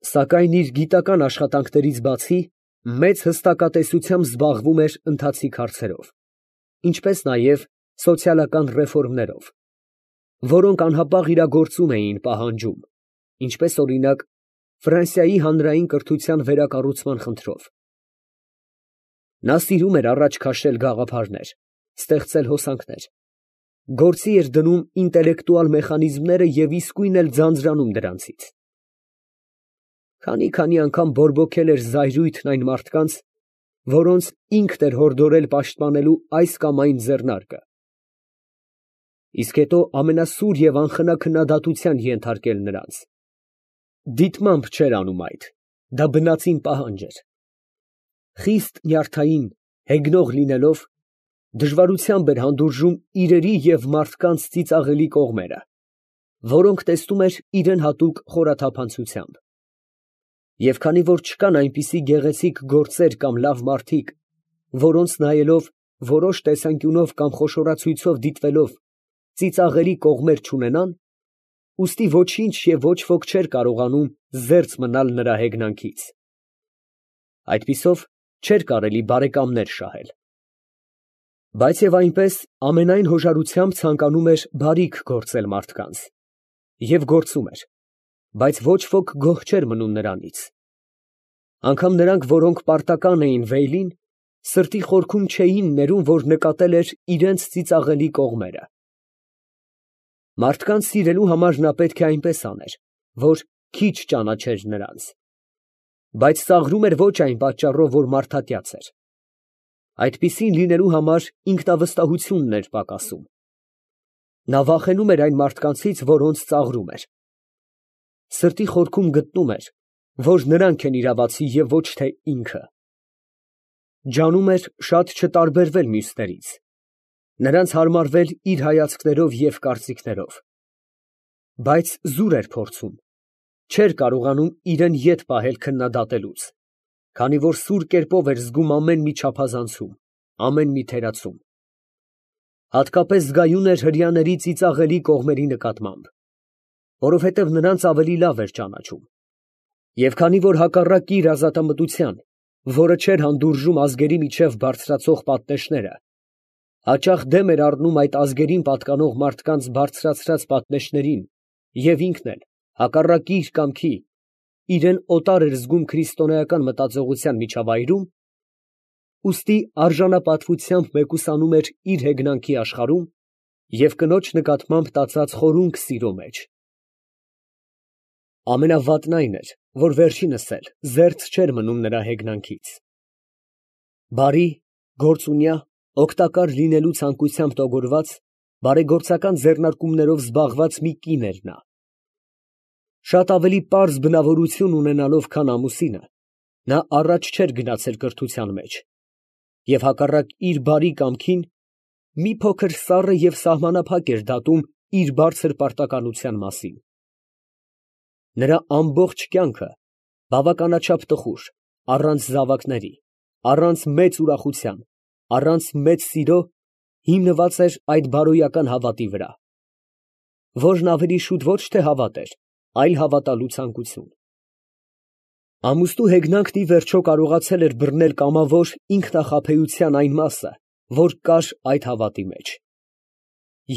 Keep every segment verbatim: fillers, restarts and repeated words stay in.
Սակայն իր գիտական աշխատանքներից բացի, մեծ հստակատեսությամբ զբաղվում էր ընթացիկ հարցերով, ինչպես նաև սոցիալական ռեֆորմներով, որոնք անհապաղ իրագործում էին պահանջում, ինչպես օրինակ Ֆրանսիայի հանրային կրթության վերակառուցման խնդրով։ Նա սիրում էր առաջ քաշել գաղափարներ, ստեղծել հոսանքներ, գործի էր դնում ինտելեկտուալ մեխանիզմները և իսկույն էլ ձանձրանում դրանցից։ Քանի֊քանի անգամ բորբոքել էր զայրույթն այն մարդկանց, որոնց ինքն էր հորդորել պաշտպանելու այս կամ այն ձեռնարկը, իսկ հետո ամենասուր և անխնա քննադատության ենթարկել նրանց։ Դիտմամբ չէր անում այդ, դա բնածին պահանջ էր։ Խիստ նյարդային, հեգնող լինելով, դժվարությամբ էր հանդուրժում իրերի և մարդկանց ծիծաղելի կողմերը, որոնք տեսնում էր իրան հատուկ խորաթափանցությամբ։ Եվ քանի որ չկան այնպիսի գեղեցիկ գործեր կամ լավ մարդիկ, որոնց նայելով, որոշ տեսանկյունով կամ խոշորացույցով դիտվելով, ծիծաղելի կողմեր չունենան, ուստի ոչինչ և ոչ ոք չէր կարողանում զերծ մնալ նրա հեգնանքից։ Այդպիսով չէր կարելի բարեկամներ շահել։ Բայց և այնպես ամենայն հոժարությամբ ցանկանում էր բարիք գործել մարդկանց, և գործում էր, բայց ոչ ոք գոհ չէր մնում նրանից։ Անգամ նրանք, որոնք պարտական էին Վեյլին, սրտի խորքում չէին ներում, որ նկատել էր իրանց ծիծաղելի կողմերը։ Մարդկանց սիրելու համար նա պետք է այնպես աներ, որ քիչ ճանաչեր նրանց, բայց ծաղրում էր ոչ այն պատճառով, որ մարդատյաց էր։ Այդպիսին լինելու համար ինքնավստահությունն էր պակասում։ Նա վախենում էր այն մարդկանցից, որոնց ծաղրում էր։ Սրտի խորքում գտնում էր, որ նրանք են իրավացի և ոչ թե ինքը։ Ջանում էր շատ չտարբերվել մյուսներից, նրանց հարմարվել իր հայացքներով և կարծիքներով, բայց զուր էր փորձում, չէր կարողանում իրան ետ պահել քննադատելուց, քանի որ սուր կերպով էր զգում ամեն մի չափազանցում, ամեն մի թերացում։ Հատկապես զգայուն էր հրեաների ծիծաղելի կողմերի նկատմամբ, որովհետև նրանց ավելի լավ էր ճանաչում։ Եվ քանի որ հակառակ իր ազատամտության, որը չէր հանդուրժում ազգերի միջև բարձրացող պատնեշները, հաճախ դեմ էր առնում այդ ազգերին պատկանող մարդկանց բարձրացրած պատնեշներին և ինքն էլ, հակառակ իր կամքի, իրան օտար էր զգում քրիստոնեական մտածողության միջավայրում, ուստի արժանապատվությամբ մեկուսանում էր իր հեգնանքի աշխարհում և կնոջ նկատմամբ տածած խորունկ սիրո մեջ։ Ամենավատն այն էր, որ վերջինս էլ զերծ չէր մնում նրա հեգնանքից։ Բարի, գործունյա, օգտակար լինելու ցանկությամբ տոգորված, բարեգործական ձեռնարկումներով զբաղված մի կին էր նա։ Շատ ավելի պարզ բնավորություն ունենալով, քան ամուսինը, նա առաջ չէր գնացել կրթության մեջ և հակառակ իր բարի կամքին, մի փոքր սառը և սահմանափակ էր դատում իր բարձր պարտականության մասին։ Նրա ամբողջ կյանքը բավականաչափ տխուր, առանց զավակների, առանց մեծ ուրախության, առանց մեծ սիրո, հիմնված էր այդ բարոյական հավատի վրա, որն ավելի շուտ ոչ թե հավատ էր, այլ հավատալու ցանկություն։ Ամուսնու հեգնանքն ի վերջո կարողացել էր բռնել կամավոր ինքնախաբեության այն մասը, որ կար այդ հավատի մեջ,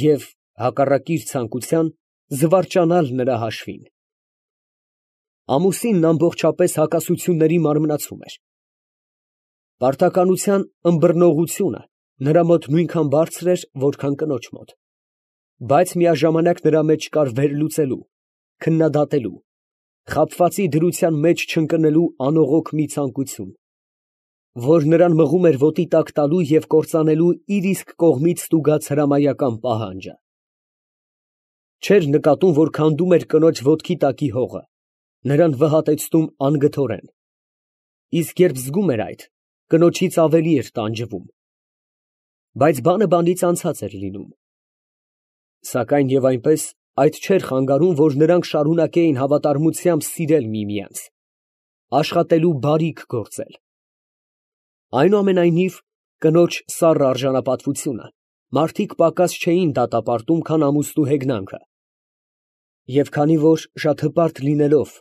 և, հակառակ իր ցանկության, զվարճանալ նրա հաշվին։ Ամուսինն ամբողջապես հակասությունների մարմնացում էր։ Պարտականության ըմբռնողությունը նրա մոտ նույնքան բարձր էր, որքան կնոջ մոտ, բայց միաժամանակ նրա մեջ կար վերլուծելու, քննադատելու, խաբվածի դրության մեջ չընկնելու անողոք մի ցանկություն, որ նրան մղում էր ոտի տակ տալու և կործանելու իր իսկ կողմից ստուգած հրամայական պահանջը։ Չէր նկատում, որ քանդում էր կնոջ ոտքի տակի հողը, նրան վհատեցնում անգթորեն, իսկ երբ զգում էր այդ, կնոջից ավելի էր տանջվում։ Բայց բանը բանից անցած էր լինում։ Սակայն և այնպես այդ չէր խանգարում, որ նրանք շարունակեին հավատարմությամբ սիրել միմյանց, աշխատելու բարիք գործել։ Այնուամենայնիվ, կնոջ սառը արժանապատվությունը մարդիկ պակաս չէին դատապարտում, քան ամուսնու հեգնանքը, և քանի որ շատ հպարտ լինելով,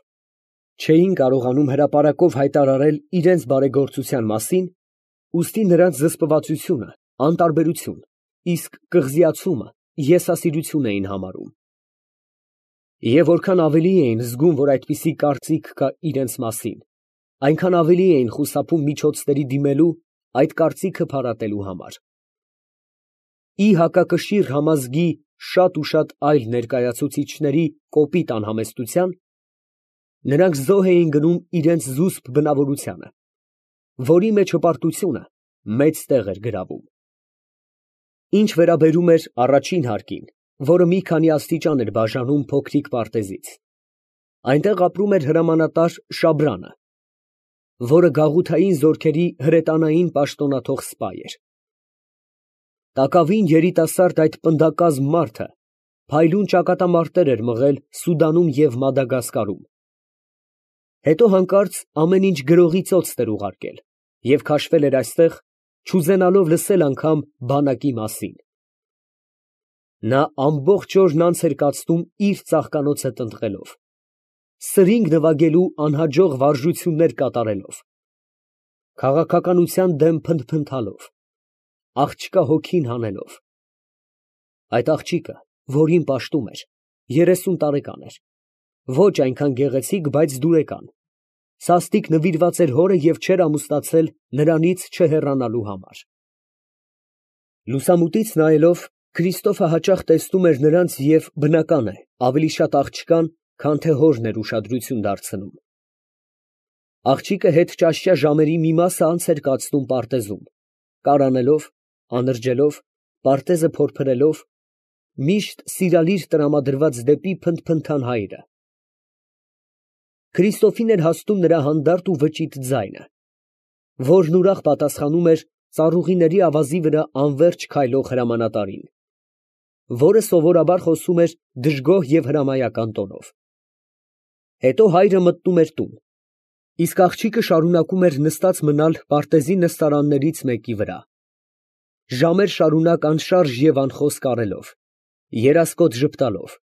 չէին կարողանում հրապարակով հայտարարել իրենց բարեգործության մասին, ուստի նրանց զսպվածությունը անտարբերություն, իսկ կղզիացումը եսասիրություն էին համարում։ Եվ որքան ավելի էին զգում, որ այդպիսի կարծիք կա իրենց մասին, այնքան ավելի էին խուսափում միջոցների դիմելու այդ կարծիքը փարատելու համար։ Ի հակակշիռ համազգի շատ ու շատ այլ ներկայացուցիչների կոպիտ անհամեստության, նրանք զոհ էին գնում իրենց զուսպ բնավորությանը, որի մեջ հպարտությունը մեծ տեղ էր գրավում։ Ինչ վերաբերում էր առաջին հարկին, որը մի քանի աստիճան էր բաժանում փոքրիկ պարտեզից, այնտեղ ապրում էր հրամանատար Շաբրանը, որը գաղութային զորքերի հրետանային պաշտոնաթող սպա էր։ Տակավին երիտասարդ այդ պնդակազմ մարդը փայլուն ճակատամարտեր էր մղել Սուդանում և Մադագասկարում, հետո հանկարծ ամեն ինչ գրողի ծոցն էր ուղարկել և քաշվել էր այստեղ, չուզենալով լսել անգամ բանակի մասին։ Նա ամբողջ օրն անց էր կացնում իր ծաղկանոցը տնտղելով, սրինգ նվագելու անհաջող վարժություններ կատարելով, քաղաքականության դեմ փնթփնթալով, աղջկա հոգին հանելով։ Այդ աղջիկը, որին պաշտում էր, երեսուն տարեկան էր, ոչ այնքան գեղեցիկ, բայց դուրեկան, սաստիկ նվիրված էր հորը և չէր ամուսնացել նրանից չհեռանալու համար։ Լուսամուտից նայելով, Քրիստոֆը հաճախ տեսնում էր նրանց և, բնական է, ավելի շատ աղջկան, քան թե հորն էր ուշադրություն դարձնում։ Աղջիկը հետճաշյա ժամերի մի մասը անց էր կացնում պարտեզում, կարանելով, անրջելով, պարտեզը փորփրելով, միշտ սիրալիր տրամադրված դեպի փնթփնթան հայրը։ Քրիստոֆին էր հասնում նրա հանդարտ ու վճիտ ձայնը, որն ուրախ պատասխանում էր ծառուղիների ավազի վրա անվերջ քայլող հրամանատարին, որը սովորաբար խոսում էր դժգոհ և հրամայական տոնով։ Հետո հայրը մտնում էր տուն, իսկ աղջիկը շարունակում էր նստած մնալ պարտեզի նստարաններից մեկի վրա, ժամեր շարունակ անշարժ և անխոսք առելով, երասկոտ ժպտալով,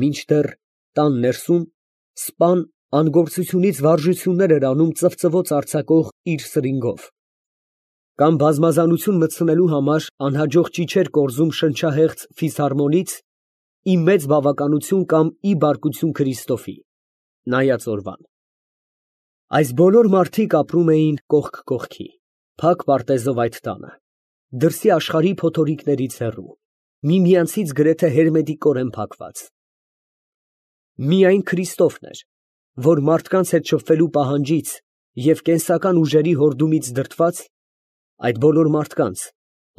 մինչդեռ տան ներսում սպան անգործությունից վարժություններ էր անում ծվծվոց արձակող իր սրինգով, կամ բազմազանություն մտցնելու համար անհաջող ճիչեր կորզում շնչահեղձ ֆիսհարմոնից ի մեծ բավականություն կամ ի բարկություն Քրիստոֆի, նայած օրվան։ Այս բոլոր մարդիկ ապրում էին կողք կողքի, փակ պարտեզով այդ տանը, դրսի աշխարհի փոթորիկներից հեռու, միմյանցից գրեթե հերմետիկորեն փակված։ Միայն Քրիստոֆն էր, որ մարդկանց հետ շփվելու պահանջից և կենսական ուժերի հորդումից դրդված, այդ բոլոր մարդկանց,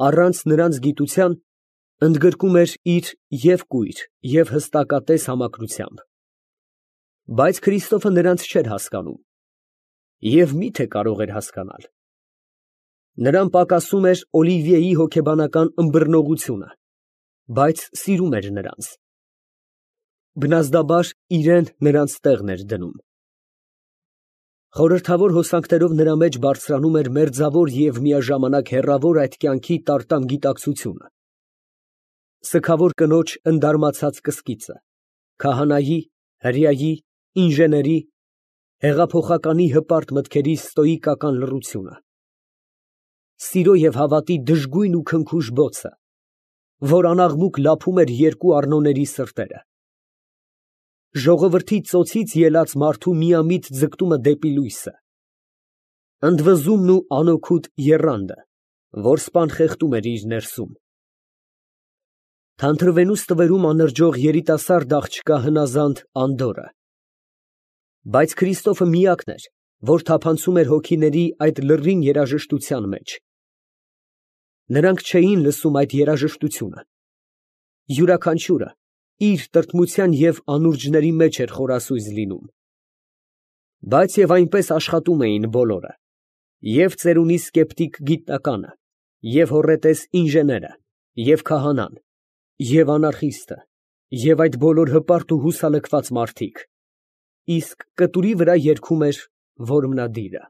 առանց նրանց գիտության, ընդգրկում էր իր և կույր, և հստակատես համակրությամբ։ Բայց Քրիստոֆը նրանց չէր հասկանում և մի՞թե կարող էր հասկանալ։ Նրան պակասում էր Օլիվիեի հոգեբանական ըմբռնողությունը, բայց սիրում էր նրանց։ Բնազդաբար իրեն նրանց տեղն էր դնում։ Խորհրդավոր հոսանքներով նրա մեջ բարձրանում էր մերձավոր և միաժամանակ հեռավոր այդ կյանքի տարտամ գիտակցությունը, սգավոր կնոջ ընդարմացած կսկիծը, քահանայի, հրեայի, ինժեների, հեղափոխականի հպարտ մտքերի ստոիկական լռությունը, սիրո և հավատի դժգույն ու քնքուշ բոցը, որ անաղմուկ լափում էր երկու Առնոների սրտերը, ժողովրդի ծոցից ելած մարդու միամիտ ձգտումը դեպի լույսը, ընդվզումն ու անօգուտ եռանդը, որ սպան խեղդում էր իր ներսում, թանթրվենու ստվերում անրջող երիտասարդ աղջկա հնազանդ անդորրը։ Բայց Քրիստոֆը միակն էր, որ թափանցում էր հոգիների այդ լռին երաժշտության մեջ։ Նրանք չէին լսում այդ երաժշտությունը, յուրաքանչյուրը իր տրտմության և անուրջների մեջ էր խորասույզ լինում, բայց և այնպես աշխատում էին բոլորը, և ծերունի սկեպտիկ գիտնականը, և հոռետես ինժեները, և քահանան, և անարխիստը, և այդ բոլոր հպարտ ու հուսալքված մարդիկ, իսկ կտուրի վրա երգում էր որմնադիրը։